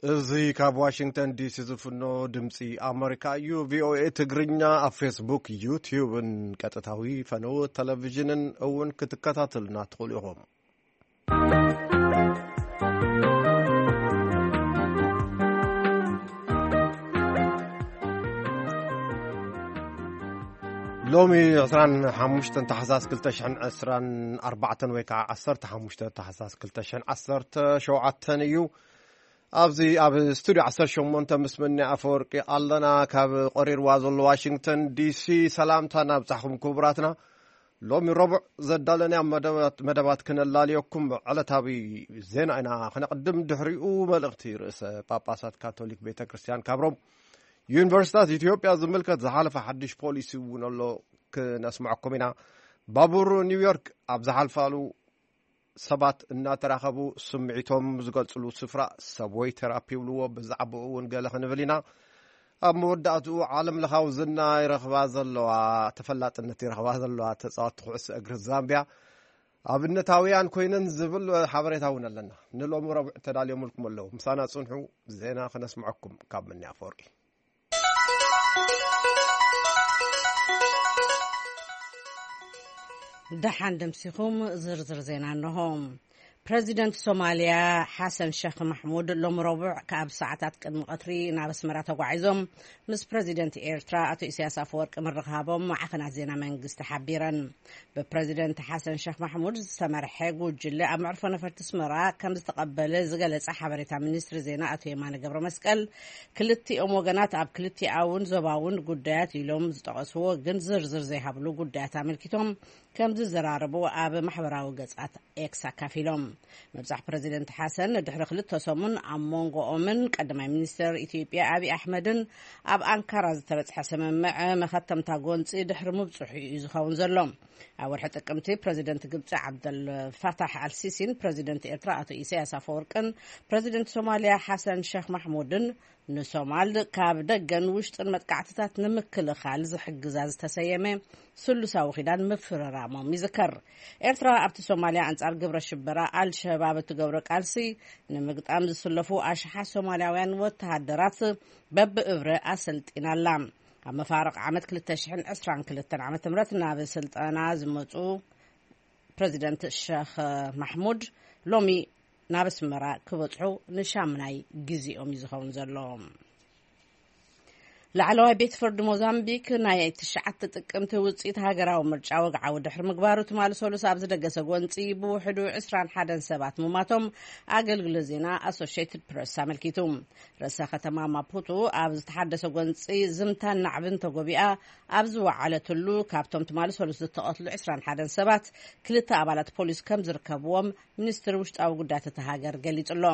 እዚ ካብ ዋሽንግተን ዲሲ ዝፍኖ ድምፂ ኣመሪካ እዩ። ቪኦኤ ትግርኛ ኣብ ፌስቡክ፣ ዩቲዩብን ቀጥታዊ ፈነው ቴሌቪዥንን እውን ክትከታተሉና ትኽእሉ ኢኹም። ሎሚ ዕስራን ሓሙሽተን ታሕሳስ ክልተ ሽሕን ዕስራን ኣርባዕተን ወይ ከዓ ዓሰርተ ሓሙሽተ ታሕሳስ ክልተ ሽሕን ዓሰርተ ሸውዓተን እዩ። ኣብዚ ኣብ ስቱድዮ ዓሰርተ ሸሞንተ ምስ መኒ ኣፈወርቂ ኣለና። ካብ ቆሪርዋ ዘሎ ዋሽንግተን ዲሲ ሰላምታ ናብጻሕኹም ክቡራትና። ሎሚ ረቡዕ ዘዳለናያ መደባት፣ መደባት ክነላልየኩም ዕለታዊ ዜና ኢና ክነቕድም። ድሕሪኡ መልእኽቲ ርእሰ ጳጳሳት ካቶሊክ ቤተ ክርስቲያን ካብ ሮም፣ ዩኒቨርሲታት ኢትዮጵያ ዝምልከት ዝሓለፈ ሓድሽ ፖሊሲ እውን ኣሎ ክነስምዐኩም ኢና። ባቡር ኒውዮርክ ኣብ ዝሓልፋሉ ሰባት እናተራኸቡ ስምዒቶም ዝገልጽሉ ስፍራ ሰብወይ ቴራፒ ይብልዎ። ብዛዕባኡ እውን ገለ ክንብል ኢና። ኣብ መወዳእትኡ ዓለም ለኻዊ ዝና ይረኽባ ዘለዋ፣ ተፈላጥነት ይረኽባ ዘለዋ ተጻወትቲ ኩዕሶ እግሪ ዛምቢያ ኣብነታውያን ኮይነን ዝብል ሓበሬታ እውን ኣለና። ንሎሚ ረቡዕ ተዳልዮምልኩም ኣለዉ። ምሳና ጽንሑ፣ ዜና ክነስምዐኩም ካብ መኒ ኣፈወርቂ። ደሓን ደምሲኹም ዝርዝር ዜና እንሆ። ፕረዚደንት ሶማልያ ሓሰን ሸኽ ማሕሙድ ሎም ረቡዕ ካብ ሰዓታት ቅድሚ ቀትሪ ናብ ኣስመራ ተጓዒዞም ምስ ፕረዚደንት ኤርትራ ኣቶ ኢሳያስ ኣፈወርቂ ምርኻቦም ማዕኸናት ዜና መንግስቲ ሓቢረን። ብፕረዚደንት ሓሰን ሸኽ ማሕሙድ ዝተመርሐ ጉጅለ ኣብ መዕርፎ ነፈርቲ ኣስመራ ከም ዝተቐበለ ዝገለጸ ሓበሬታ ሚኒስትሪ ዜና ኣቶ የማነ ገብረ መስቀል፣ ክልቲኦም ወገናት ኣብ ክልቲኣውን ዞባውን ጉዳያት ኢሎም ዝጠቐስዎ ግን ዝርዝር ዘይሃብሉ ጉዳያት ኣመልኪቶም ከም ዝዘራረቡ ኣብ ማሕበራዊ ገጻት ኤክስ ኣካፊሎም። ምብጻሕ ፕረዚደንት ሓሰን ድሕሪ ክልተ ሰሙን ኣብ መንጎኦምን ቀዳማይ ሚኒስትር ኢትዮጵያ ኣብይ ኣሕመድን ኣብ ኣንካራ ዝተበጽሐ ስምምዕ መኸተምታ ጎንጺ ድሕሪ ምብጽሑ እዩ ዝኸውን ዘሎ። ኣብ ወርሒ ጥቅምቲ ፕረዚደንት ግብጺ ዓብደል ፋታሕ ኣልሲሲን ፕረዚደንት ኤርትራ ኣቶ ኢሳያስ ኣፈወርቅን ፕረዚደንት ሶማልያ ሓሰን ሸኽ ማሕሙድን ንሶማል ካብ ደገን ውሽጥን መጥቃዕትታት ንምክልኻል ዝሕግዛ ዝተሰየመ ስሉሳዊ ኪዳን ምፍርራሞም ይዝከር። ኤርትራ ኣብቲ ሶማልያ ኣንጻር ግብረ ሽበራ ኣልሸባብ እትገብሮ ቃልሲ ንምግጣም ዝስለፉ ኣሽሓት ሶማልያውያን ወተሃደራት በብእብረ ኣሰልጢና ኣላ። ኣብ መፋርቕ ዓመት ክልተ ሽሕን ዕስራን ክልተን ዓመተ ምህረት ናብ ስልጠና ዝመጹ ፕረዚደንት ሸኽ ማሕሙድ ሎሚ ናብ ኣስመራ ክበጽሑ ንሻምናይ ግዜኦም እዩ ዝኸውን ዘሎ። ላዕለዋይ ቤት ፍርዲ ሞዛምቢክ ናይ ትሽዓተ ጥቅምቲ ውጽኢት ሃገራዊ ምርጫ ወግዓዊ ድሕሪ ምግባሩ ትማሊ ሰሉስ ኣብ ዝደገሰ ጎንጺ ብውሕዱ ዕስራን ሓደን ሰባት ምማቶም ኣገልግሎት ዜና ኣሶሽየትድ ፕረስ ኣመልኪቱ። ርእሰ ከተማ ማፑቱ ኣብ ዝተሓደሰ ጎንጺ ዝምታን ናዕብን ተጎቢኣ ኣብ ዝወዓለትሉ፣ ካብቶም ትማሊ ሰሉስ ዝተቐትሉ ዕስራን ሓደን ሰባት ክልተ ኣባላት ፖሊስ ከም ዝርከብዎም ሚኒስትሪ ውሽጣዊ ጉዳያት እታ ሃገር ገሊጹ ኣሎ።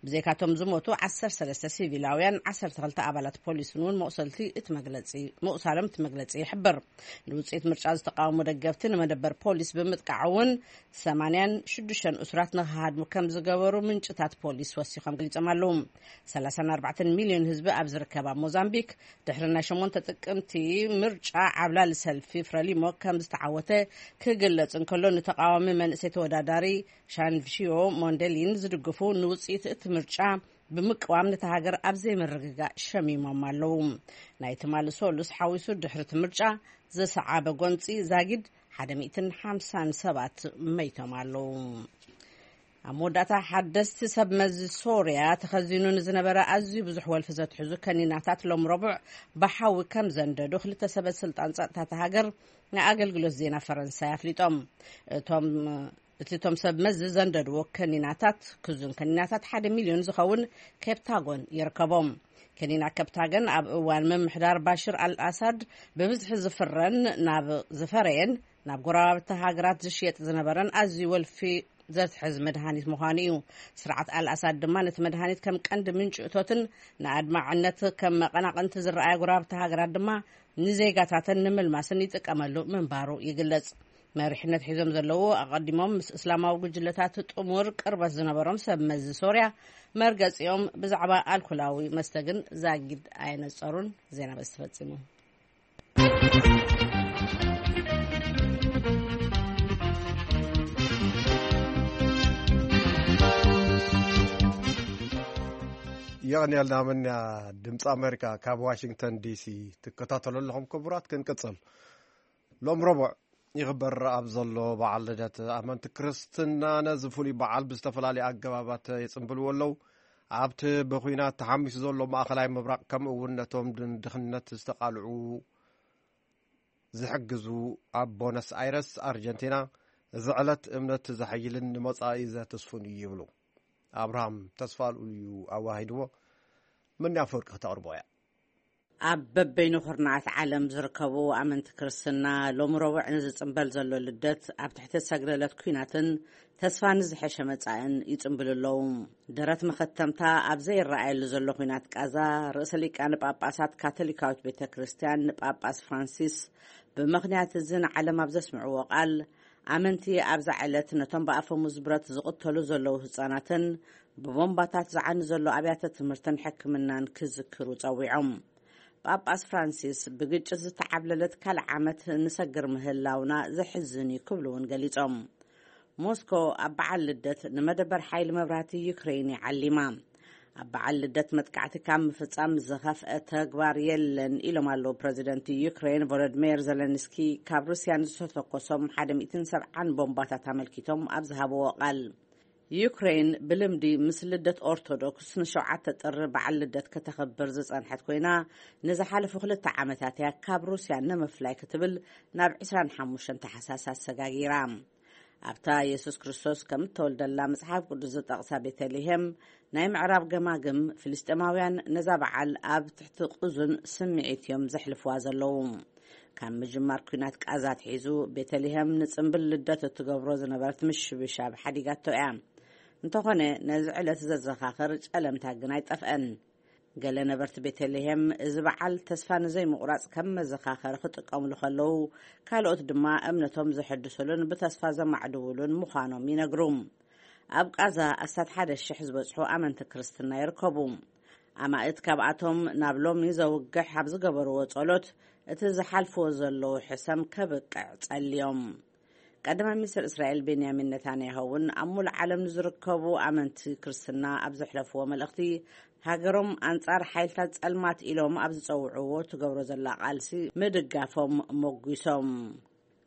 ብዘይካቶም ዝሞቱ ዓሰርተ ሰለስተ ሲቪላውያን፣ ዓሰርተ ክልተ ኣባላት ፖሊስን እውን መቑሰልቲ እቲ መግለጺ፣ ምቑሳሎም እቲ መግለጺ ይሕብር። ንውጽኢት ምርጫ ዝተቃወሙ ደገፍቲ ንመደበር ፖሊስ ብምጥቃዕ እውን ሰማንያን ሽዱሽተን እሱራት ንክሃድሙ ከም ዝገበሩ ምንጭታት ፖሊስ ወሲኾም ገሊጾም ኣለዉ። ሰላሳን ኣርባዕተን ሚልዮን ህዝቢ ኣብ ዝርከባ ሞዛምቢክ ድሕሪ ናይ ሸሞንተ ጥቅምቲ ምርጫ ዓብላሊ ሰልፊ ፍረሊሞ ከም ዝተዓወተ ክግለጽ እንከሎ፣ ንተቃዋሚ መንእሰይ ተወዳዳሪ ሻንቪዮ ሞንደሊን ዝድግፉ ንውጽኢት እቲ ምርጫ ብምቅዋም ነታ ሃገር ኣብ ዘይምርግጋእ ሸሚሞም ኣለዉ። ናይ ትማሊ ሶሉስ ሓዊሱ ድሕሪ እቲ ምርጫ ዘሰዓበ ጎንጺ ዛጊድ ሓደ ሚእትን ሓምሳን ሰባት መይቶም ኣለዉ። ኣብ መወዳእታ ሓደስቲ ሰብ መዚ ሶርያ ተኸዚኑ ንዝነበረ ኣዝዩ ብዙሕ ወልፊ ዘትሕዙ ከኒናታት ሎም ረቡዕ ብሓዊ ከም ዘንደዱ ክልተ ሰበ ስልጣን ጸጥታ እታ ሃገር ንኣገልግሎት ዜና ፈረንሳይ ኣፍሊጦም። እቶም እቲ እቶም ሰብ መዚ ዘንደድዎ ከኒናታት፣ ክዙን ከኒናታት ሓደ ሚልዮን ዝኸውን ኬፕታጎን ይርከቦም። ከኒና ኬፕታገን ኣብ እዋን ምምሕዳር ባሽር ኣልኣሳድ ብብዝሒ ዝፍረን ናብ ዝፈረየን ናብ ጎረባብቲ ሃገራት ዝሽየጥ ዝነበረን ኣዝዩ ወልፊ ዘትሕዝ መድሃኒት ምዃኑ እዩ። ስርዓት ኣልኣሳድ ድማ ነቲ መድሃኒት ከም ቀንዲ ምንጪ እቶትን ንኣድማዕነት ከም መቐናቕንቲ ዝረኣያ ጎረባብቲ ሃገራት ድማ ንዜጋታተን ንምልማስን ይጥቀመሉ ምንባሩ ይግለጽ። መሪሕነት ሒዞም ዘለዉ ኣቐዲሞም ምስ እስላማዊ ጉጅለታት ጥሙር ቅርበት ዝነበሮም ሰብ መዚ ሶርያ መርገጺኦም ብዛዕባ ኣልኮላዊ መስተ ግን ዛጊድ ኣየነጸሩን። ዜና በዚ ተፈጺሙ። የቐንየልና። ምንያ ድምፂ ኣሜሪካ ካብ ዋሽንግተን ዲሲ ትከታተሉ ኣለኹም። ክቡራት፣ ክንቅፅል። ሎም ረቡዕ ይኽበር ኣብ ዘሎ በዓል ልደት ኣመንቲ ክርስትና ነዚ ፍሉይ በዓል ብዝተፈላለዩ ኣገባባት ይጽንብልዎ ኣለዉ። ኣብቲ ብኹናት ተሓሚሱ ዘሎ ማእኸላይ ምብራቕ፣ ከምኡ እውን ነቶም ድን-፣ ድኽነት ዝተቓልዑ ዝሕግዙ ኣብ ቦነስ ኣይረስ ኣርጀንቲና፣ እዚ ዕለት እምነት ዘሐይልን ንመጻኢ ዘተስፉን እዩ ይብሉ። ኣብርሃም ተስፋልኡል እዩ ኣዋሂድዎ። ምንያ ኣፈወርቂ ክተቕርቦ እያ። ኣብ በበይኑ ኩርናዓት ዓለም ዝርከቡ ኣመንቲ ክርስትና ሎሚ ረቡዕ ንዝጽንበል ዘሎ ልደት ኣብ ትሕቲ ሰግለለት ኲናትን ተስፋ ንዝሐሸ መጻእን ይጽንብሉ ኣለዉ። ደረት መኸተምታ ኣብ ዘይረኣየሉ ዘሎ ኲናት ቃዛ፣ ርእሰ ሊቃነ ጳጳሳት ካቶሊካዊት ቤተ ክርስቲያን ንጳጳስ ፍራንሲስ ብምኽንያት እዚ ንዓለም ኣብ ዘስምዕዎ ቃል፣ ኣመንቲ ኣብዛ ዕለት ነቶም ብኣፈሙዝ ብረት ዝቕተሉ ዘለዉ ህጻናትን ብቦምባታት ዝዓኑ ዘሎ ኣብያተ ትምህርትን ሕክምናን ክዝክሩ ጸዊዖም። ጳጳስ ፍራንሲስ፣ ብግጭት ዝተዓብለለት ካልእ ዓመት ንሰግር ምህላውና ዘሕዝን እዩ ክብሉ እውን ገሊጾም። ሞስኮ ኣብ በዓል ልደት ንመደበር ሓይሊ መብራህቲ ዩክሬን ይዓሊማ። ኣብ በዓል ልደት መጥቃዕቲ ካብ ምፍጻም ዝኸፍአ ተግባር የለን ኢሎም ኣለዉ ፕረዚደንት ዩክሬን ቮሎዲሚር ዘለንስኪ፣ ካብ ሩስያ ንዝተተኮሶም ሓደ ሚእትን ሰብዓን ቦምባታት ኣመልኪቶም ኣብ ዝሃብዎ ቃል። ዩክሬን ብልምዲ ምስ ልደት ኦርቶዶክስ ንሸውዓተ ጥሪ በዓል ልደት ከተኽብር ዝጸንሐት ኮይና፣ ንዝሓለፉ ክልተ ዓመታት እያ ካብ ሩስያ ንምፍላይ ክትብል ናብ ዕስራን ሓሙሽተን ታሕሳስ ኣሰጋጊራ። ኣብታ የሱስ ክርስቶስ ከም እተወልደላ መጽሓፍ ቅዱስ ዝጠቕሳ ቤተልሔም፣ ናይ ምዕራብ ገማግም ፍልስጤማውያን ነዛ በዓል ኣብ ትሕቲ ቁዙን ስምዒት እዮም ዘሕልፍዋ ዘለዉ። ካብ ምጅማር ኲናት ቃዛ ኣትሒዙ፣ ቤተልሔም ንጽምብል ልደት እትገብሮ ዝነበረት ምሽብሻብ ሓዲጋቶ እያ። እንተኾነ፣ ነዚ ዕለት ዘዘኻኽር ጨለምታ ግን ኣይጠፍአን። ገለ ነበርቲ ቤተልሔም፣ እዚ በዓል ተስፋ ንዘይምቑራጽ ከም መዘኻኸሪ ክጥቀሙሉ ከለዉ፣ ካልኦት ድማ እምነቶም ዘሐድሱሉን ብተስፋ ዘማዕድዉሉን ምዃኖም ይነግሩ። ኣብ ቃዛ ኣስታት ሓደ ሽሕ ዝበጽሑ ኣመንቲ ክርስትና ይርከቡ። ኣማእት ካብኣቶም ናብ ሎሚ ዘውግሕ ኣብ ዝገበርዎ ጸሎት፣ እቲ ዝሓልፍዎ ዘለዉ ሕሰም ከብቅዕ ጸልዮም። ቀዳማይ ሚኒስትር እስራኤል ቤንያሚን ነታንያሁ እውን ኣብ ሙሉእ ዓለም ንዝርከቡ ኣመንቲ ክርስትና ኣብ ዘሕለፍዎ መልእኽቲ፣ ሃገሮም ኣንጻር ሓይልታት ጸልማት ኢሎም ኣብ ዝጸውዕዎ ትገብሮ ዘላ ቃልሲ ምድጋፎም ሞጒሶም።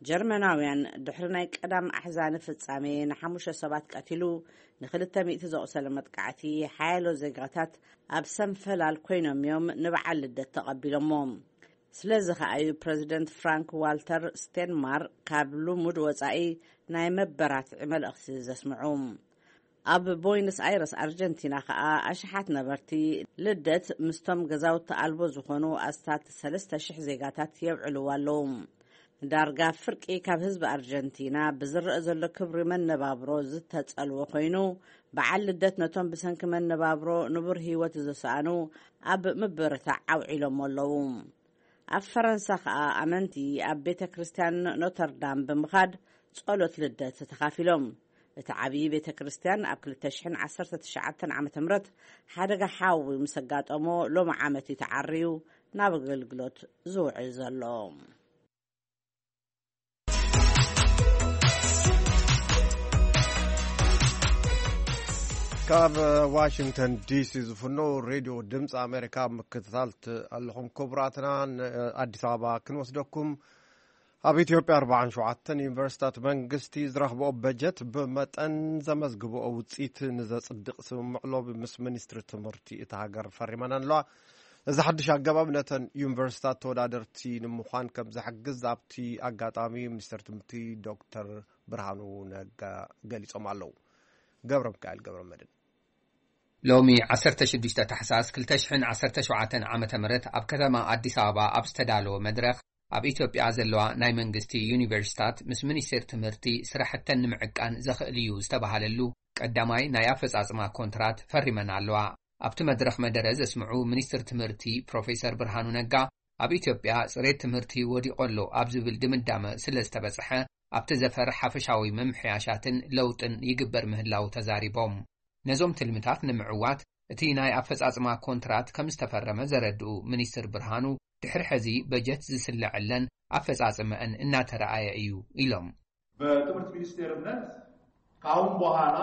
ጀርመናውያን ድሕሪ ናይ ቀዳም ኣሕዛኒ ፍጻሜ ንሓሙሽተ ሰባት ቀቲሉ፣ ንኽልተ ሚእቲ ዘቑሰለ መጥቃዕቲ፣ ሓያሎ ዜጋታት ኣብ ሰንፈላል ኮይኖም እዮም ንበዓል ልደት ተቐቢሎሞ። ስለዚ ከኣ እዩ ፕረዚደንት ፍራንክ ዋልተር ስቴንማር ካብ ልሙድ ወጻኢ ናይ መበራትዒ መልእኽቲ ዘስምዑ። ኣብ ቦይነስ ኣይረስ ኣርጀንቲና ከኣ ኣሽሓት ነበርቲ ልደት ምስቶም ገዛውቲ ኣልቦ ዝኾኑ ኣስታት ሰለስተ ሽሕ ዜጋታት የብዕልዎ ኣለዉ። ዳርጋ ፍርቂ ካብ ህዝቢ ኣርጀንቲና ብዝረአ ዘሎ ክብሪ መነባብሮ ዝተጸልወ ኮይኑ፣ በዓል ልደት ነቶም ብሰንኪ መነባብሮ ንቡር ህይወት ዝሰኣኑ ኣብ ምብርታዕ ኣውዒሎሞ ኣለዉ። ኣብ ፈረንሳ ከኣ ኣመንቲ ኣብ ቤተ ክርስቲያን ኖተርዳም ብምኻድ ጸሎት ልደት ተኻፊሎም። እቲ ዓብዪ ቤተ ክርስቲያን ኣብ ክልተ ሽሕን ዓሰርተ ትሽዓተን ዓመተ ምህረት ሓደጋ ሓዊ ምስ ኣጋጠሞ፣ ሎሚ ዓመት እዩ ተዓርዩ ናብ ኣገልግሎት ዝውዕል ዘሎ። ካብ ዋሽንግተን ዲሲ ዝፍኖ ሬድዮ ድምፂ ኣሜሪካ ምክትታል ት-፣ ኣለኹም ክቡራትና። ን-፣ ኣዲስ ኣበባ ክንወስደኩም። ኣብ ኢትዮጵያ ኣርባዓን ሸውዓተን ዩኒቨርሲታት መንግስቲ ዝረኽብኦ በጀት ብመጠን ዘመዝግብኦ ውፅኢት ንዘፅድቕ ስምምዕ ሎሚ ምስ ሚኒስትሪ ትምህርቲ እታ ሃገር ፈሪመን ኣለዋ። እዚ ሓድሽ ኣገባብ ነተን ዩኒቨርሲታት ተወዳደርቲ ንምዃን ከም ዘሕግዝ ኣብቲ ኣጋጣሚ ሚኒስትር ትምህርቲ ዶክተር ብርሃኑ ነጋ ገሊጾም ኣለዉ። ገብረ ሚካኤል ገብረ መድህን። ሎሚ ዓሰርተ ሽዱሽተ ታሕሳስ ክልተ ሽሕን ዓሰርተ ሸውዓተን ዓመተ ምህረት ኣብ ከተማ ኣዲስ ኣበባ ኣብ ዝተዳለወ መድረኽ፣ ኣብ ኢትዮጵያ ዘለዋ ናይ መንግስቲ ዩኒቨርሲታት ምስ ሚኒስቴር ትምህርቲ ስራሕተን ንምዕቃን ዘኽእል እዩ ዝተባሃለሉ ቀዳማይ ናይ ኣፈጻጽማ ኮንትራት ፈሪመን ኣለዋ። ኣብቲ መድረኽ መደረ ዘስምዑ ሚኒስትር ትምህርቲ ፕሮፌሰር ብርሃኑ ነጋ፣ ኣብ ኢትዮጵያ ጽሬት ትምህርቲ ወዲቑ ኣሎ ኣብ ዝብል ድምዳመ ስለ ዝተበጽሐ፣ ኣብቲ ዘፈር ሓፈሻዊ ምምሕያሻትን ለውጥን ይግበር ምህላው ተዛሪቦም። ነዞም ትልምታት ንምዕዋት እቲ ናይ ኣፈጻጽማ ኮንትራት ከም ዝተፈረመ ዘረድኡ ሚኒስትር ብርሃኑ፣ ድሕሪ ሕዚ በጀት ዝስለዐለን ኣፈጻጽመአን እናተረኣየ እዩ ኢሎም። በትምህርት ሚኒስቴርነት ካሁን በኋላ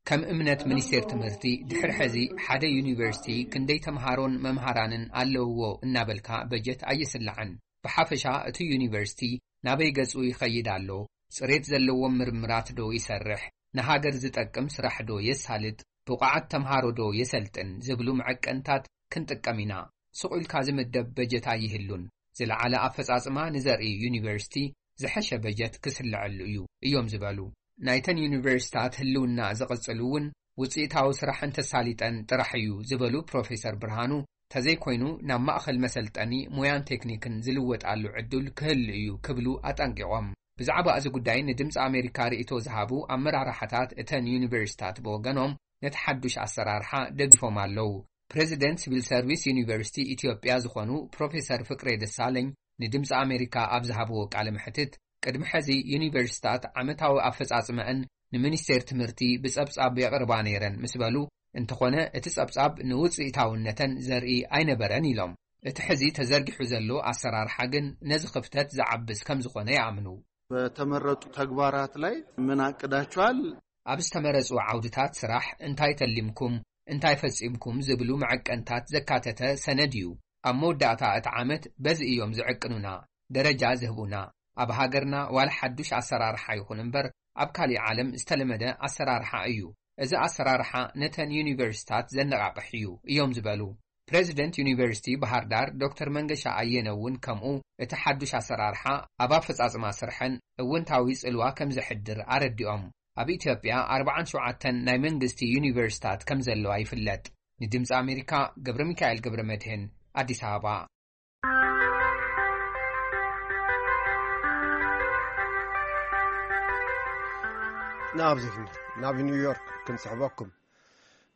ከም እምነት ሚኒስቴር ትምህርቲ፣ ድሕሪ ሕዚ ሓደ ዩኒቨርሲቲ ክንደይ ተምሃሮን መምሃራንን ኣለውዎ እናበልካ በጀት ኣይስላዕን። ብሓፈሻ እቲ ዩኒቨርሲቲ ናበይ ገጹ ይኸይድ ኣሎ፣ ጽሬት ዘለዎም ምርምራት ዶ ይሰርሕ፣ ንሃገር ዝጠቅም ስራሕ ዶ የሳልጥ፣ ብቑዓት ተምሃሮ ዶ የሰልጥን ዝብሉ መዐቀንታት ክንጥቀም ኢና። ስቕ ኢልካ ዝምደብ በጀት ኣይህሉን። ዝለዓለ ኣፈጻጽማ ንዘርኢ ዩኒቨርሲቲ ዝሐሸ በጀት ክስልዐሉ እዩ እዮም ዝበሉ። ናይተን ዩኒቨርሲታት ህልውና ዝቕጽል እውን ውጽኢታዊ ስራሕ እንተሳሊጠን ጥራሕ እዩ ዝበሉ ፕሮፌሰር ብርሃኑ፣ ተዘይኮይኑ ናብ ማእኸል መሰልጠኒ ሞያን ቴክኒክን ዝልወጣሉ ዕድል ክህሉ እዩ ክብሉ ኣጠንቂቖም። ብዛዕባ እዚ ጉዳይ ንድምፂ ኣሜሪካ ርእይቶ ዝሃቡ ኣመራርሓታት እተን ዩኒቨርሲታት ብወገኖም ነቲ ሓዱሽ ኣሰራርሓ ደጊፎም ኣለዉ። ፕሬዚደንት ሲቪል ሰርቪስ ዩኒቨርሲቲ ኢትዮጵያ ዝኾኑ ፕሮፌሰር ፍቅሬ ደሳለኝ ንድምፂ ኣሜሪካ ኣብ ዝሃብዎ ቃለ መሕትት፣ ቅድሚ ሕዚ ዩኒቨርሲታት ዓመታዊ ኣፈጻጽመአን ንሚኒስቴር ትምህርቲ ብጸብጻብ የቕርባ ነይረን ምስ በሉ፣ እንተኾነ እቲ ጸብጻብ ንውጽኢታውነተን ዘርኢ ኣይነበረን ኢሎም። እቲ ሕዚ ተዘርጊሑ ዘሎ ኣሰራርሓ ግን ነዚ ክፍተት ዝዓብስ ከም ዝኾነ ይኣምኑ። በተመረጡ ተግባራት ላይ ምን አቅዳችኋል? ኣብ ዝተመረጹ ዓውድታት ስራሕ እንታይ ተሊምኩም፣ እንታይ ፈጺምኩም ዝብሉ መዐቀንታት ዘካተተ ሰነድ እዩ። ኣብ መወዳእታ እቲ ዓመት በዚ እዮም ዝዕቅኑና፣ ደረጃ ዝህቡና። ኣብ ሃገርና ዋላ ሓዱሽ ኣሰራርሓ ይኹን እምበር ኣብ ካሊእ ዓለም ዝተለመደ ኣሰራርሓ እዩ። እዚ ኣሰራርሓ ነተን ዩኒቨርሲታት ዘነቓቕሕ እዩ እዮም ዝበሉ። ፕሬዚደንት ዩኒቨርሲቲ ባህር ዳር ዶክተር መንገሻ ኣየነ እውን ከምኡ እቲ ሓዱሽ ኣሰራርሓ ኣብ ኣፈጻጽማ ስርሐን እውንታዊ ጽልዋ ከም ዘሕድር ኣረዲኦም። ኣብ ኢትዮጵያ ኣርባዓን ሸውዓተን ናይ መንግስቲ ዩኒቨርሲታት ከም ዘለዋ ይፍለጥ። ንድምፂ ኣሜሪካ ገብረ ሚካኤል ገብረ መድህን ኣዲስ ኣበባ። ናብዚ ናብ ኒውዮርክ ክንስሕበኩም።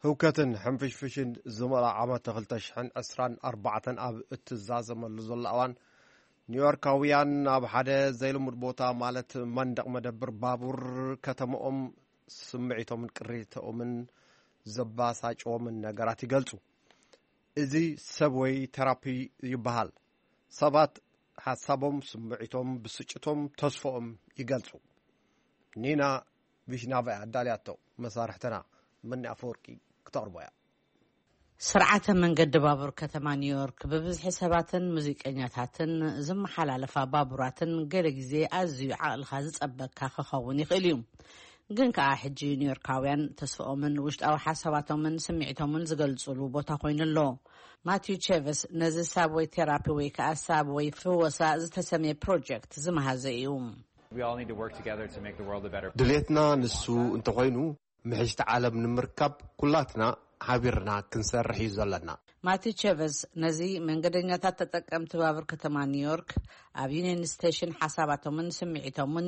ህውከትን ሕንፍሽፍሽን ዝመልኦ ዓመት ክልተ ሽሕን ዕስራን ኣርባዕተን ኣብ እትዛዘመሉ ዘሎ እዋን፣ ኒውዮርካውያን ኣብ ሓደ ዘይልሙድ ቦታ፣ ማለት መንደቕ መደብር ባቡር ከተማኦም፣ ስምዒቶምን ቅሬታኦምን ዘባሳጨዎምን ነገራት ይገልጹ። እዚ ሰብወይ ቴራፒ ይበሃል። ሰባት ሓሳቦም፣ ስምዒቶም፣ ብስጭቶም፣ ተስፎኦም ይገልጹ። ኒና ቪሽናቫ እያ ኣዳልያቶ። መሳርሕትና መኒ ኣፈወርቂ ክተቕርቦ እያ። ስርዓተ መንገዲ ባቡር ከተማ ኒውዮርክ ብብዝሒ ሰባትን ሙዚቀኛታትን ዝመሓላለፋ ባቡራትን ገለ ግዜ ኣዝዩ ዓቕልኻ ዝጸበካ ክኸውን ይኽእል እዩ። ግን ከኣ ሕጂ ኒውዮርካውያን ተስፍኦምን ውሽጣዊ ሓሳባቶምን ስምዒቶምን ዝገልጹሉ ቦታ ኮይኑ ኣሎ። ማቲው ቼቨስ ነዚ ሳብወይ ቴራፒ ወይ ከኣ ሳብወይ ፍወሳ ዝተሰምየ ፕሮጀክት ዝመሃዘ እዩ። We all need to work together to make the world a better ድሌትና ንሱ እንተኾይኑ፣ ምሕሽቲ ዓለም ንምርካብ ኩላትና ሓቢርና ክንሰርሕ እዩ ዘለና። ማቲ ቸቨስ ነዚ መንገደኛታት ተጠቀምቲ ባቡር ከተማ ኒውዮርክ ኣብ ዩኒየን ስቴሽን ሓሳባቶምን ስምዒቶምን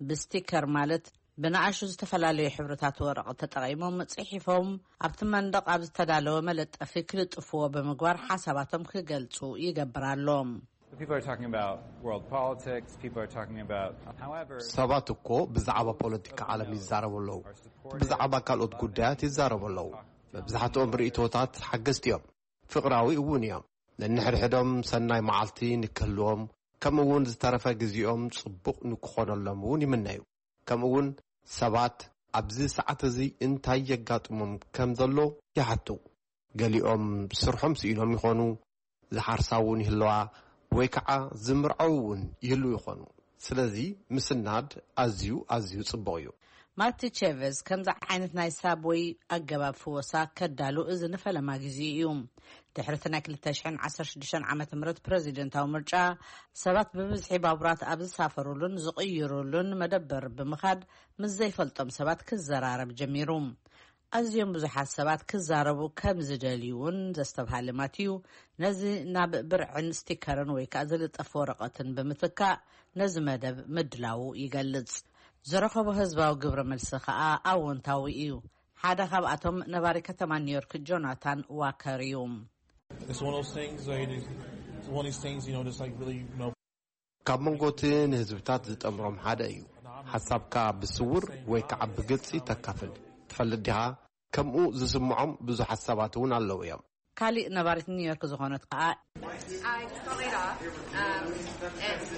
ብስቲከር፣ ማለት ብንኣሹ ዝተፈላለዩ ሕብርታት ወረቐት ተጠቒሞም ጽሒፎም ኣብቲ መንደቕ ኣብ ዝተዳለወ መለጠፊ ክልጥፍዎ ብምግባር ሓሳባቶም ክገልጹ ይገብር ኣሎ። People are talking about world politics. People are talking about, however, ሰባት እኮ ብዛዕባ ፖለቲካ ዓለም ይዛረቡ ኣለዉ። ብዛዕባ ካልኦት ጉዳያት ይዛረቡ ኣለዉ። መብዛሕትኦም ርእይቶታት ሓገዝቲ እዮም፣ ፍቕራዊ እውን እዮም። ነንሕድሕዶም ሰናይ መዓልቲ ንክህልዎም፣ ከምኡ እውን ዝተረፈ ግዜኦም ጽቡቕ ንክኾነሎም እውን ይምነዩ። ከምኡ እውን ሰባት ኣብዚ ሰዓት እዚ እንታይ የጋጥሞም ከም ዘሎ ይሓቱ። ገሊኦም ስርሖም ስኢኖም ይኾኑ፣ ዝሓርሳ እውን ይህለዋ፣ ወይ ከዓ ዝምርዓው እውን ይህልዉ ይኾኑ። ስለዚ ምስናድ ኣዝዩ ኣዝዩ ጽቡቕ እዩ። ማቲ ቼቨዝ ከምዚ ዓይነት ናይ ሳብወይ ኣገባብ ፍወሳ ከዳሉ እዚ ንፈለማ ግዜ እዩ። ድሕሪ እቲ ናይ ክልተ ሽሕን ዓሰርተ ሽዱሽተን ዓመተ ምህረት ፕረዚደንታዊ ምርጫ፣ ሰባት ብብዝሒ ባቡራት ኣብ ዝሳፈሩሉን ዝቕይሩሉን መደበር ብምኻድ ምስ ዘይፈልጦም ሰባት ክዘራረብ ጀሚሩ። ኣዝዮም ብዙሓት ሰባት ክዛረቡ ከም ዝደልዩ እውን ዘስተብሃለ ማቲዩ፣ ነዚ ናብ ብርዕን ስቲከርን ወይ ከኣ ዝልጠፍ ወረቐትን ብምትካእ ነዚ መደብ ምድላዉ ይገልጽ። ዝረኸቦ ህዝባዊ ግብረ መልሲ ከኣ ኣወንታዊ እዩ። ሓደ ካብኣቶም ነባሪ ከተማ ኒውዮርክ ጆናታን ዋከር እዩ። It's one of those things, like, it's one of these things, you know, just like really, you know, ካብ መንጎ እቲ ንህዝብታት ዝጠምሮም ሓደ እዩ። ሓሳብካ ብስውር ወይ ከዓ ብግልፂ ተካፍል። ትፈልጥ ዲኻ? ከምኡ ዝስምዖም ብዙሓት ሰባት እውን ኣለዉ እዮም። ካሊእ ነባሪት ኒውዮርክ ዝኾነት ከኣ፣ I just got laid off. Um, it's,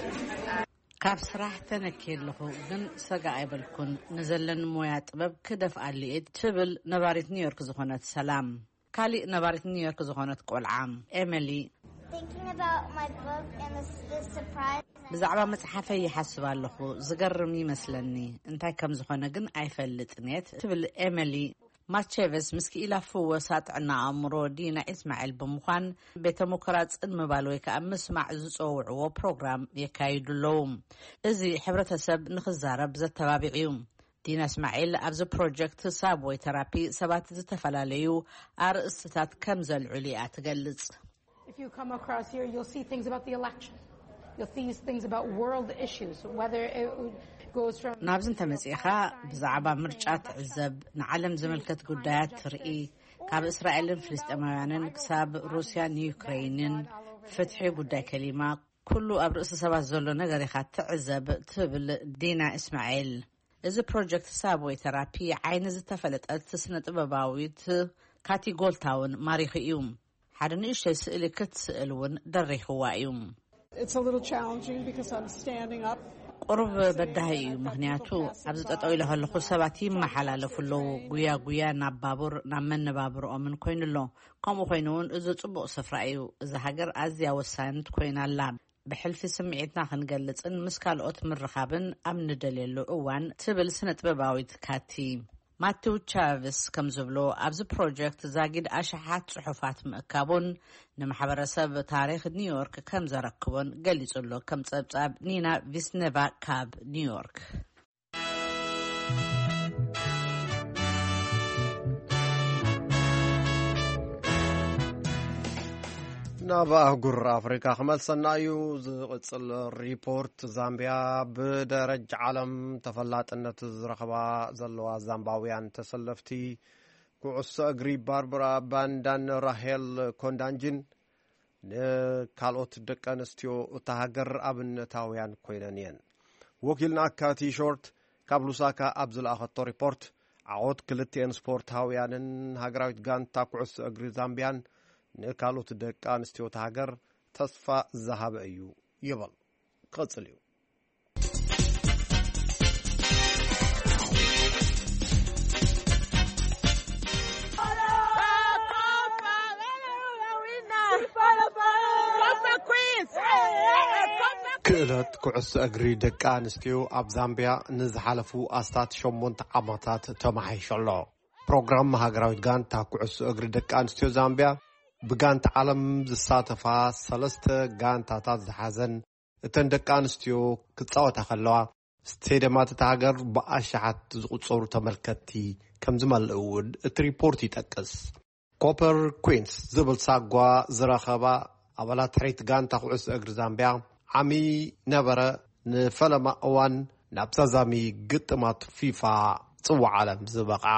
uh, ካብ ስራሕ ተነኪየ ኣለኹ፣ ግን ሰጋ ኣይበልኩን። ንዘለኒ ሞያ ጥበብ ክደፍኣሉ እየ፣ ትብል ነባሪት ኒውዮርክ ዝኾነት ሰላም። ካሊእ ነባሪት ኒውዮርክ ዝኾነት ቆልዓ ኤሚሊ፣ Thinking about my book and the, the surprise. ብዛዕባ መጽሓፈይ ይሓስብ ኣለኹ። ዝገርም ይመስለኒ። እንታይ ከም ዝኾነ ግን ኣይፈልጥን እየ፣ ትብል ኤሚሊ። ማርቸቨስ ምስ ክኢላ ፍወሳ ጥዕና ኣእምሮ ዲና ኢስማዒል ብምዃን ቤተ ምኩራጽን ምባል ወይ ከዓ ምስማዕ ዝጸውዕዎ ፕሮግራም የካይዱ ኣለዉ። እዚ ሕብረተሰብ ንኽዛረብ ዘተባብዕ እዩ። ዲና እስማዒል ኣብዚ ፕሮጀክት ሳብወይ ተራፒ ሰባት ዝተፈላለዩ ኣርእስትታት ከም ዘልዕሉ እያ ትገልጽ። If you come across here, you'll see things about the election. You'll see things about world issues, whether it goes from ናብዚ እንተመጺእኻ ብዛዕባ ምርጫ ትዕዘብ፣ ንዓለም ዝምልከት ጉዳያት ትርኢ። ካብ እስራኤልን ፍልስጤማውያንን ክሳብ ሩስያን ዩክሬይንን፣ ፍትሒ፣ ጉዳይ ከሊማ፣ ኩሉ ኣብ ርእሲ ሰባት ዘሎ ነገር ኢኻ ትዕዘብ፣ ትብል ዲና እስማኤል። እዚ ፕሮጀክት ሳብወይ ተራፒ ዓይኒ ዝተፈለጠት ስነ ጥበባዊት ካቲ ጎልታውን ማሪኹ እዩ። ሓደ ንእሽተይ ስእሊ ክትስእል እውን ደሪኽዋ እዩ። It's a little challenging because I'm standing up. ቁሩብ በዳሂ እዩ፣ ምኽንያቱ ኣብዚ ጠጠው ኢለ ከለኹ ሰባት ይመሓላለፉ ኣለዉ። ጉያ ጉያ ናብ ባቡር፣ ናብ መነባብርኦምን ኮይኑ ኣሎ። ከምኡ ኮይኑ እውን እዚ ጽቡቕ ስፍራ እዩ። እዛ ሃገር ኣዝያ ወሳኒት ኮይና ኣላ። ብሕልፊ ስምዒትና ክንገልጽን ምስ ካልኦት ምርኻብን ኣብ ንደልየሉ እዋን፣ ትብል ስነ ጥበባዊት ካቲ። ማቲው ቻቭስ ከም ዝብሎ፣ ኣብዚ ፕሮጀክት ዛጊድ ኣሽሓት ጽሑፋት ምእካቡን ንማሕበረሰብ ታሪኽ ኒውዮርክ ከም ዘረክቦን ገሊጹ ኣሎ። ከም ጸብጻብ ኒና ቪስኔቫ ካብ ኒውዮርክ። ናብ ኣህጉር ኣፍሪካ ክመልሰና እዩ። ዝቕጽል ሪፖርት፣ ዛምቢያ ብደረጃ ዓለም ተፈላጥነት ዝረኸባ ዘለዋ ዛምባውያን ተሰለፍቲ ኩዕሶ እግሪ ባርብራ ባንዳን ራሄል ኮንዳንጂን ንካልኦት ደቂ ኣንስትዮ እታ ሃገር ኣብነታውያን ኮይነን እየን። ወኪልና ካቲ ሾርት ካብ ሉሳካ ኣብ ዝለኣኸቶ ሪፖርት፣ ዓወት ክልቲኤን ስፖርታውያንን ሃገራዊት ጋንታ ኩዕሶ እግሪ ዛምቢያን ንካልኦት ደቂ ኣንስትዮ እታ ሃገር ተስፋ ዝሃበ እዩ ይብል። ክቕጽል እዩ። ክእለት ኩዕሶ እግሪ ደቂ ኣንስትዮ ኣብ ዛምቢያ ንዝሓለፉ ኣስታት ሸሞንተ ዓመታት ተመሓይሹ ኣሎ። ፕሮግራም ሃገራዊት ጋንታ ኩዕሶ እግሪ ደቂ ኣንስትዮ ዛምቢያ፣ ብጋንታ ዓለም ዝሳተፋ ሰለስተ ጋንታታት ዝሓዘን እተን ደቂ ኣንስትዮ ክጻወታ ከለዋ፣ ስቴድየማት እታ ሃገር ብኣሽሓት ዝቑጸሩ ተመልከትቲ ከም ዝመልእ እውን እቲ ሪፖርት ይጠቅስ። ኮፐር ኩንስ ዝብል ሳጓ ዝረኸባ ኣባላት ሕሪት ጋንታ ኩዕሶ እግሪ ዛምቢያ፣ ዓሚ ነበረ ንፈለማ እዋን ናብ ዛዛሚ ግጥማት ፊፋ ጽዋዕ ዓለም ዝበቕዓ።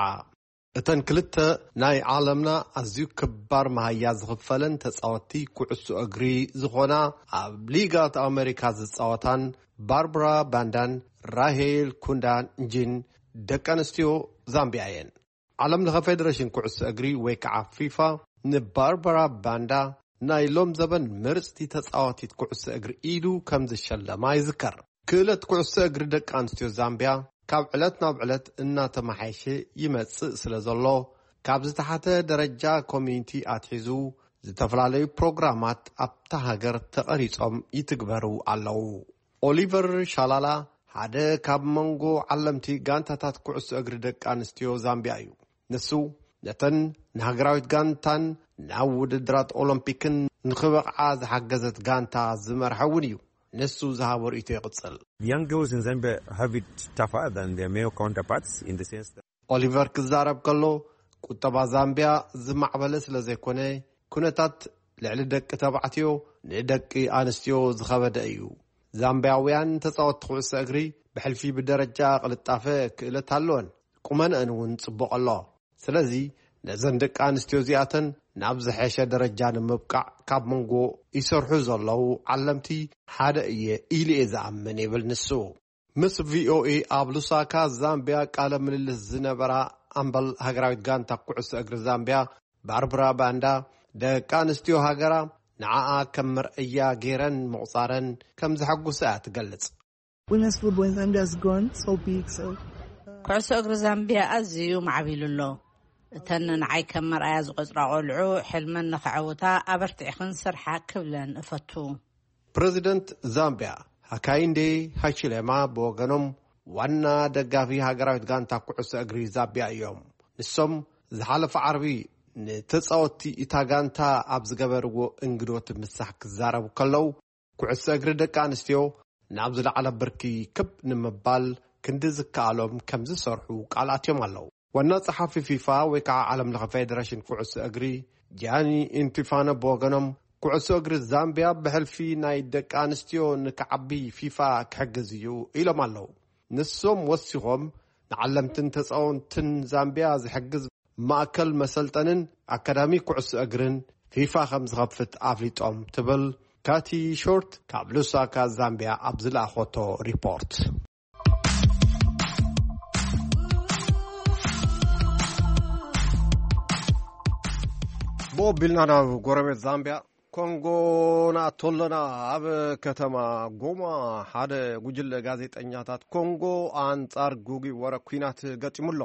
እተን ክልተ ናይ ዓለምና ኣዝዩ ክባር መሃያ ዝኽፈለን ተጻወትቲ ኩዕሶ እግሪ ዝኾና፣ ኣብ ሊጋት ኣሜሪካ ዝጻወታን ባርብራ ባንዳን ራሄል ኩንዳንጂን ደቂ ኣንስትዮ ዛምቢያ እየን። ዓለም ለኸ ፌደሬሽን ኩዕሶ እግሪ ወይ ከዓ ፊፋ ንባርባራ ባንዳ ናይ ሎም ዘበን ምርጽቲ ተጻዋቲት ኩዕሶ እግሪ ኢሉ ከም ዝሸለማ ይዝከር። ክእለት ኩዕሶ እግሪ ደቂ ኣንስትዮ ዛምቢያ ካብ ዕለት ናብ ዕለት እናተመሓየሸ ይመጽእ ስለ ዘሎ፣ ካብ ዝተሓተ ደረጃ ኮሚኒቲ ኣትሒዙ ዝተፈላለዩ ፕሮግራማት ኣብታ ሃገር ተቐሪጾም ይትግበሩ ኣለዉ። ኦሊቨር ሻላላ ሓደ ካብ መንጎ ዓለምቲ ጋንታታት ኩዕሶ እግሪ ደቂ ኣንስትዮ ዛምቢያ እዩ። ንሱ ነተን ንሃገራዊት ጋንታን ናብ ውድድራት ኦሎምፒክን ንኽበቕዓ ዝሓገዘት ጋንታ ዝመርሐ እውን እዩ። ንሱ ዝሃቦ ርእይቶ ይቕጽል። Young girls in Zambia have it tougher than their male counterparts in the sense that ኦሊቨር ክዛረብ ከሎ፣ ቁጠባ ዛምቢያ ዝማዕበለ ስለ ዘይኮነ፣ ኩነታት ልዕሊ ደቂ ተባዕትዮ ንደቂ ኣንስትዮ ዝኸበደ እዩ። ዛምቢያውያን ተጻወትቲ ኩዕሶ እግሪ ብሕልፊ ብደረጃ ቅልጣፈ ክእለት ኣለወን፣ ቁመንአን እውን ጽቡቕ ኣሎ። ስለዚ ነዘን ደቂ ኣንስትዮ እዚኣተን ናብ ዝሐሸ ደረጃ ንምብቃዕ ካብ መንጎ ይሰርሑ ዘለዉ ዓለምቲ ሓደ እየ ኢሉ እየ ዝኣምን ይብል ንሱ። ምስ ቪኦኤ ኣብ ሉሳካ ዛምቢያ ቃለ ምልልስ ዝነበራ ኣምበል ሃገራዊት ጋንታ ኩዕሶ እግሪ ዛምቢያ ባርብራ ባንዳ፣ ደቂ ኣንስትዮ ሃገራ ንዓኣ ከም መርኣያ ገይረን ምቑጻረን ከም ዘሐጉሳ እያ ትገልጽ። Women's football in Zambia has gone so big, so. ኩዕሶ እግሪ ዛምቢያ ኣዝዩ ማዕቢሉ ኣሎ። እተን ንዓይ ከም መርኣያ ዝቆጽራ ቆልዑ፣ ሕልመን ንኸዐውታ ኣበርቲዕኽን ስርሓ ክብለን እፈቱ። ፕረዚደንት ዛምቢያ ሃካይንዴ ሃይቺሌማ ብወገኖም፣ ዋና ደጋፊ ሃገራዊት ጋንታ ኩዕሶ እግሪ ዛምቢያ እዮም። ንሶም ዝሓለፈ ዓርቢ ንተጻወትቲ እታ ጋንታ ኣብ ዝገበርዎ እንግዶት ምሳሕ ክዛረቡ ከለዉ፣ ኩዕሶ እግሪ ደቂ ኣንስትዮ ናብ ዝለዓለ ብርኪ ክብ ንምባል ክንዲ ዝከኣሎም ከም ዝሰርሑ ቃል ኣትዮም ኣለዉ። ዋና ጸሓፊ ፊፋ ወይ ከዓ ዓለም ለኸ ፌደሬሽን ኩዕሶ እግሪ ጃኒ ኢንቲፋኖ ብወገኖም፣ ኩዕሶ እግሪ ዛምቢያ ብሕልፊ ናይ ደቂ ኣንስትዮ ንክዓቢ ፊፋ ክሕግዝ እዩ ኢሎም ኣለዉ። ንሶም ወሲኾም፣ ንዓለምትን ተጻወንትን ዛምቢያ ዝሕግዝ ማእከል መሰልጠንን ኣካዳሚ ኩዕሶ እግርን ፊፋ ከም ዝኸፍት ኣፍሊጦም፣ ትብል ካቲ ሾርት ካብ ሉሳካ ዛምቢያ ኣብ ዝለኣኾቶ ሪፖርት። ብኦቢልና ናብ ጎረቤት ዛምቢያ ኮንጎ ንኣቶ ኣለና። ኣብ ከተማ ጎማ ሓደ ጉጅለ ጋዜጠኛታት ኮንጎ ኣንጻር ጉጉይ ወረ ኲናት ገጢሙ ኣሎ።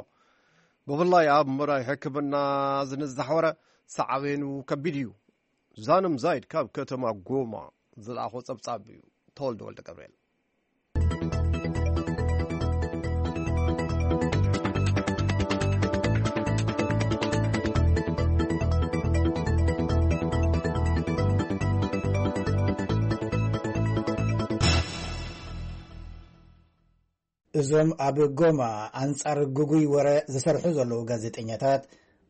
ብፍላይ ኣብ ምራይ ሕክምና ዝንዛሕ ወረ ሳዕቤኑ ከቢድ እዩ። ዛንም ዛይድ ካብ ከተማ ጎማ ዝለኣኾ ጸብጻብ እዩ። ተወልደ ወልደ ገብርኤል። እዞም ኣብ ጎማ ኣንጻር ግጉይ ወረ ዝሰርሑ ዘለዉ ጋዜጠኛታት፣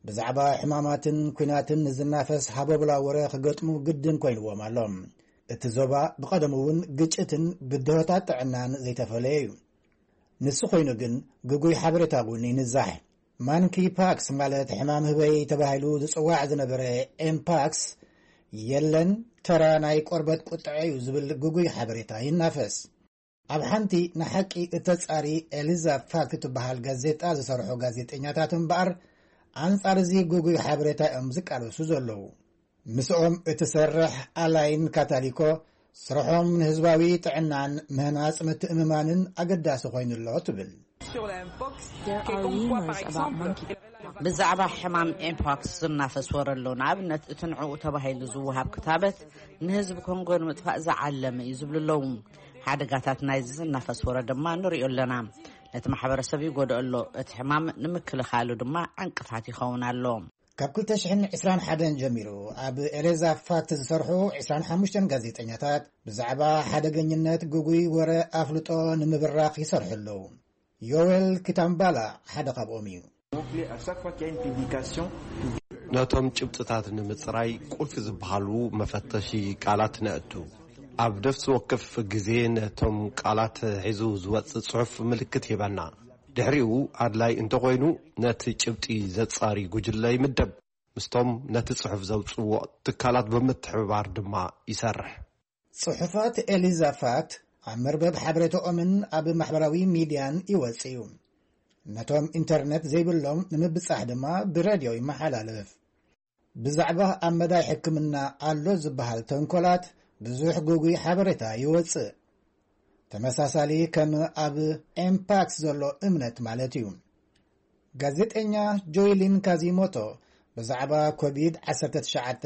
ብዛዕባ ሕማማትን ኲናትን ዝናፈስ ሃቦብላ ወረ ክገጥሙ ግድን ኮይንዎም ኣሎ። እቲ ዞባ ብቐደሙ እውን ግጭትን ብድሆታት ጥዕናን ዘይተፈለየ እዩ። ንሱ ኮይኑ ግን ግጉይ ሓበሬታ እውን ይንዛሕ። ማንኪ ፓክስ ማለት ሕማም ህበይ ተባሂሉ ዝጽዋዕ ዝነበረ ኤምፓክስ የለን፣ ተራ ናይ ቆርበት ቁጥዐ እዩ ዝብል ግጉይ ሓበሬታ ይናፈስ። ኣብ ሓንቲ ንሓቂ እተጻሪ ኤሊዛ ፋክት እትበሃል ጋዜጣ ዝሰርሑ ጋዜጠኛታት እምበኣር ኣንጻር እዚ ግጉይ ሓበሬታ እዮም ዝቃለሱ ዘለዉ። ምስኦም እትሰርሕ ኣላይን ካታሊኮ ስርሖም ንህዝባዊ ጥዕናን ምህናጽ ምትእምማንን ኣገዳሲ ኮይኑ ኣሎ ትብል። ብዛዕባ ሕማም ኤምፖክስ ዝናፈስ ወረ ኣሎ። ንኣብነት እቲ ንዕኡ ተባሂሉ ዝወሃብ ክታበት ንህዝቢ ኮንጎ ንምጥፋእ ዝዓለመ እዩ ዝብሉ ኣለዉ። ሓደጋታት ናይዚ ዝናፈስ ወረ ድማ ንሪኦ ኣለና። ነቲ ማሕበረሰብ ይጎድኦ ኣሎ። እቲ ሕማም ንምክልኻሉ ድማ ዕንቅፋት ይኸውን ኣሎ። ካብ ክልተ ሽሕን ዕስራን ሓደን ጀሚሩ ኣብ ኤሌዛ ፋክት ዝሰርሑ ዕስራን ሓሙሽተን ጋዜጠኛታት ብዛዕባ ሓደገኝነት ግጉይ ወረ ኣፍልጦ ንምብራኽ ይሰርሑ ኣለዉ። ዮዌል ኪታምባላ ሓደ ካብኦም እዩ። ነቶም ጭብጥታት ንምጽራይ ቁልፊ ዝበሃሉ መፈተሺ ቃላት ነእቱ። ኣብ ነፍሲ ወከፍ ግዜ ነቶም ቃላት ሒዙ ዝወጽእ ጽሑፍ ምልክት ይህበና። ድሕሪኡ ኣድላይ እንተኾይኑ ነቲ ጭብጢ ዘጻሪ ጉጅለ ይምደብ። ምስቶም ነቲ ጽሑፍ ዘውጽእዎ ትካላት ብምትሕብባር ድማ ይሰርሕ። ጽሑፋት ኤሊዛ ፋክት ኣብ መርበብ ሓበሬታኦምን ኣብ ማሕበራዊ ሚድያን ይወጽእ እዩ። ነቶም ኢንተርነት ዘይብሎም ንምብጻሕ ድማ ብሬድዮ ይመሓላለፍ። ብዛዕባ ኣብ መዳይ ሕክምና ኣሎ ዝበሃል ተንኮላት ብዙሕ ግጉይ ሓበሬታ ይወጽእ። ተመሳሳሊ ከም ኣብ ኤምፓክስ ዘሎ እምነት ማለት እዩ። ጋዜጠኛ ጆይሊን ካዚሞቶ ብዛዕባ ኮቪድ ዓሰርተ ትሽዓተ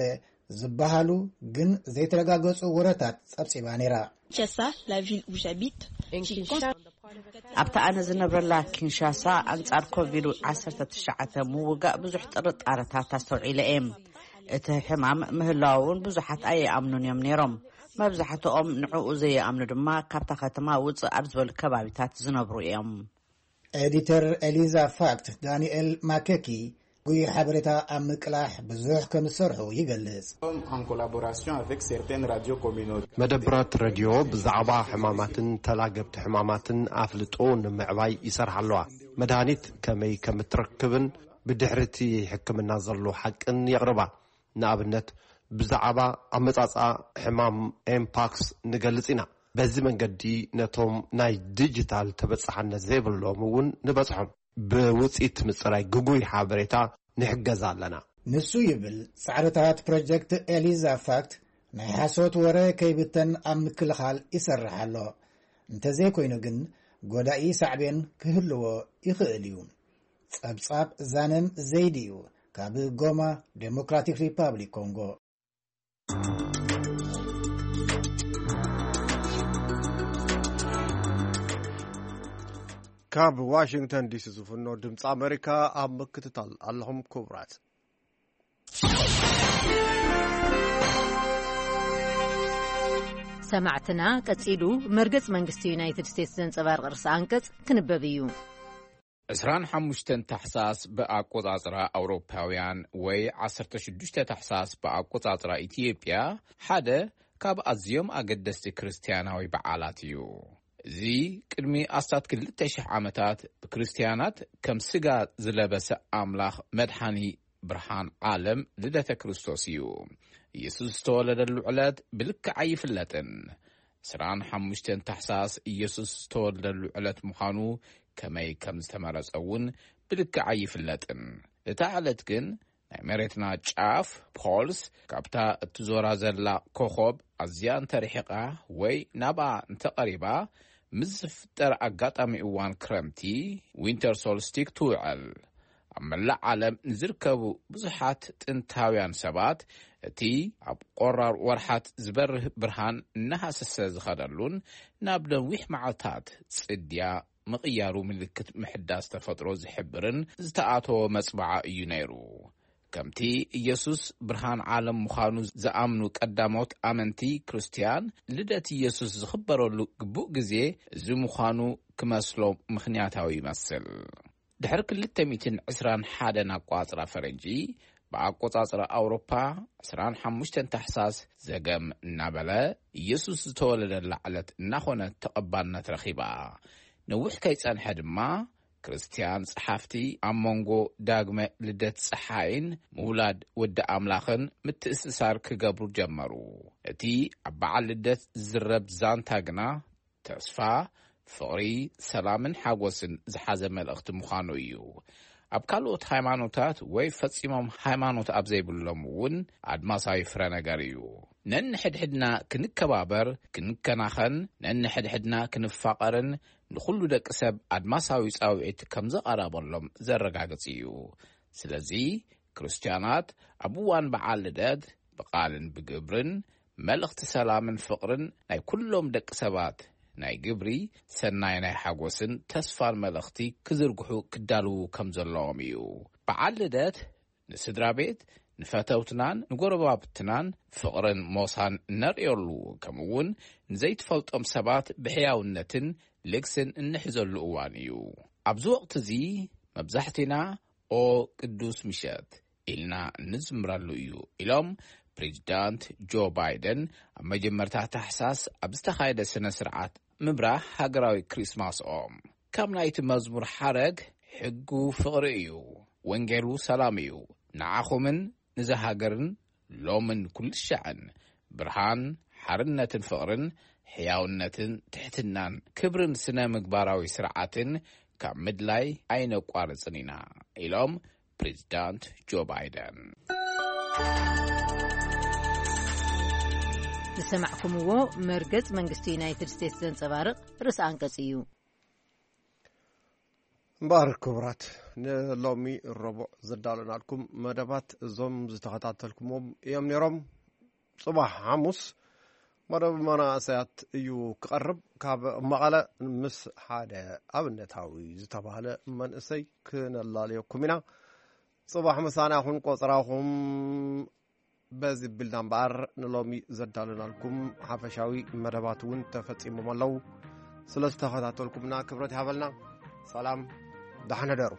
ዝበሃሉ ግን ዘይተረጋገጹ ወረታት ጸብጺባ ነይራ። Kinshasa, la ville où j'habite, ኣብታ ኣነ ዝነብረላ ኪንሻሳ ኣንጻር ኮቪድ ዓሰርተ ትሽዓተ ምውጋእ ብዙሕ ጥርጣረታት ኣስተውዒለ እየ። እቲ ሕማም ምህላው እውን ብዙሓት ኣይኣምኑን እዮም ነይሮም። መብዛሕትኦም ንዕኡ ዘይኣምኑ ድማ ካብታ ከተማ ውጽእ ኣብ ዝበሉ ከባቢታት ዝነብሩ እዮም። ኤዲተር ኤሊዛ ፋክት ዳንኤል ማከኪ ጉይ ሓበሬታ ኣብ ምቅላሕ ብዙሕ ከም ዝሰርሑ ይገልጽ። መደብራት ረድዮ ብዛዕባ ሕማማትን ተላገብቲ ሕማማትን ኣፍልጦ ንምዕባይ ይሰርሓ ኣለዋ። መድሃኒት ከመይ ከም እትረክብን ብድሕሪ እቲ ሕክምና ዘሎ ሓቅን የቕርባ። ንኣብነት ብዛዕባ ኣመጻጽኣ ሕማም ኤምፓክስ ንገልጽ ኢና። በዚ መንገዲ ነቶም ናይ ዲጂታል ተበጻሕነት ዘይብሎም እውን ንበጽሖም። ብውጽኢት ምጽራይ ግጉይ ሓበሬታ ንሕገዝ ኣለና። ንሱ ይብል ጻዕርታት ፕሮጀክት ኤሊዛ ፋክት ናይ ሓሶት ወረ ከይብተን ኣብ ምክልኻል ይሰርሕ ኣሎ። እንተዘይኮይኑ ግን፣ ጎዳኢ ሳዕቤን ክህልዎ ይኽእል እዩ። ጸብጻብ ዛነም ዘይዲ እዩ፣ ካብ ጎማ፣ ዴሞክራቲክ ሪፓብሊክ ኮንጎ። ካብ ዋሽንግተን ዲሲ ዝፍኖ ድምፂ ኣሜሪካ ኣብ ምክትታል ኣለኹም ክቡራት። ሰማዕትና፣ ቀጺሉ መርገጽ መንግስቲ ዩናይትድ ስቴትስ ዘንጸባርቕ ርእሰ ኣንቀጽ ክንበብ እዩ። ዕስራን ሓሙሽተን ታሕሳስ ብኣቆጻጽራ ኣውሮፓውያን ወይ ዓሰርተ ሽዱሽተ ታሕሳስ ብኣቆጻጽራ ኢትዮጵያ ሓደ ካብ ኣዝዮም ኣገደስቲ ክርስትያናዊ በዓላት እዩ። እዚ ቅድሚ ኣስታት ክልተ ሽሕ ዓመታት ብክርስትያናት ከም ስጋ ዝለበሰ ኣምላኽ መድሓኒ ብርሃን ዓለም ልደተ ክርስቶስ እዩ። ኢየሱስ ዝተወለደሉ ዕለት ብልክዕ ኣይፍለጥን። ዕስራን ሓሙሽተን ታሕሳስ ኢየሱስ ዝተወለደሉ ዕለት ምዃኑ ከመይ ከም ዝተመረጸ እውን ብልክዕ ኣይፍለጥን። እታ ዕለት ግን ናይ መሬትና ጫፍ ፖልስ ካብታ እትዞራ ዘላ ኮኾብ ኣዝያ እንተርሒቓ ወይ ናብኣ እንተቐሪባ ምስ ዝፍጠር ኣጋጣሚ እዋን ክረምቲ ዊንተር ሶልስቲክ ትውዕል። ኣብ መላእ ዓለም ንዝርከቡ ብዙሓት ጥንታውያን ሰባት እቲ ኣብ ቆራር ወርሓት ዝበርህ ብርሃን እናሃሰሰ ዝኸደሉን ናብ ነዊሕ መዓልታት ጽድያ ምቕያሩ ምልክት ምሕዳስ ተፈጥሮ ዝሕብርን ዝተኣተወ መጽብዓ እዩ ነይሩ። ከምቲ ኢየሱስ ብርሃን ዓለም ምዃኑ ዝኣምኑ ቀዳሞት ኣመንቲ ክርስትያን፣ ልደት ኢየሱስ ዝኽበረሉ ግቡእ ግዜ እዚ ምዃኑ ክመስሎም ምኽንያታዊ ይመስል። ድሕሪ ክልተ ሚእትን ዕስራን ሓደን ኣቋጽራ ፈረንጂ፣ ብኣቆጻጽራ ኣውሮፓ ዕስራን ሓሙሽተን ታሕሳስ ዘገም እናበለ ኢየሱስ ዝተወለደላ ዕለት እናኾነ ተቐባልነት ረኺባ። ነዊሕ ከይጸንሐ ድማ ክርስትያን ጸሓፍቲ ኣብ መንጎ ዳግመ ልደት ጸሓይን ምውላድ ወዲ ኣምላኽን ምትእስሳር ክገብሩ ጀመሩ። እቲ ኣብ በዓል ልደት ዝዝረብ ዛንታ ግና ተስፋ፣ ፍቕሪ፣ ሰላምን ሓጎስን ዝሓዘ መልእኽቲ ምዃኑ እዩ። ኣብ ካልኦት ሃይማኖታት ወይ ፈጺሞም ሃይማኖት ኣብ ዘይብሎም እውን ኣድማሳዊ ፍረ ነገር እዩ። ነንሕድሕድና ክንከባበር፣ ክንከናኸን፣ ነንሕድሕድና ክንፋቐርን ንኹሉ ደቂ ሰብ ኣድማሳዊ ጻውዒት ከም ዘቐረበሎም ዘረጋግጽ እዩ። ስለዚ ክርስትያናት ኣብ እዋን በዓል ልደት ብቓልን ብግብርን መልእኽቲ ሰላምን ፍቕርን ናይ ኩሎም ደቂ ሰባት ናይ ግብሪ ሰናይ ናይ ሓጎስን ተስፋን መልእኽቲ ክዝርግሑ ክዳልዉ ከም ዘለዎም እዩ። በዓል ልደት ንስድራ ቤት፣ ንፈተውትናን ንጎረባብትናን ፍቕርን ሞሳን እነርእየሉ፣ ከምኡ እውን ንዘይትፈልጦም ሰባት ብሕያውነትን ልግስን እንሕዘሉ እዋን እዩ። ኣብዚ ወቕቲ እዚ መብዛሕቲና "ኦ ቅዱስ ምሸት" ኢልና እንዝምረሉ እዩ ኢሎም ፕሬዚዳንት ጆ ባይደን ኣብ መጀመርታ ታሕሳስ ኣብ ዝተኻየደ ስነ ስርዓት ምብራህ ሃገራዊ ክሪስማስኦም። ካብ ናይቲ መዝሙር ሓረግ፣ "ሕጉ ፍቕሪ እዩ፣ ወንጌሉ ሰላም እዩ፣ ንዓኹምን ንዛ ሃገርን ሎምን ኩሉ ሻዕን ብርሃን፣ ሓርነትን ፍቕርን፣ ሕያውነትን ትሕትናን ክብርን ስነ ምግባራዊ ስርዓትን ካብ ምድላይ ኣይነቋርጽን ኢና" ኢሎም ፕሬዚዳንት ጆ ባይደን። ዝሰማዕኩምዎ መርገጽ መንግስቲ ዩናይትድ ስቴትስ ዘንጸባርቕ ርእሰ ኣንቀጽ እዩ። እምበኣር ክቡራት፣ ንሎሚ ረቡዕ ዘዳለናልኩም መደባት እዞም ዝተኸታተልኩምዎም እዮም ነይሮም። ጽባሕ ሓሙስ መደብ መናእሰያት እዩ ክቐርብ። ካብ መቐለ ምስ ሓደ ኣብነታዊ ዝተባህለ መንእሰይ ክነላለየኩም ኢና። ጽባሕ ምሳና ይኹን ቆጽራኹም። በዚ ቢልና እምበኣር ንሎሚ ዘዳለናልኩም ሓፈሻዊ መደባት እውን ተፈጺሞም ኣለዉ። ስለ ዝተኸታተልኩምና ክብረት ይሃበልና። ሰላም፣ ደሓን ሕደሩ።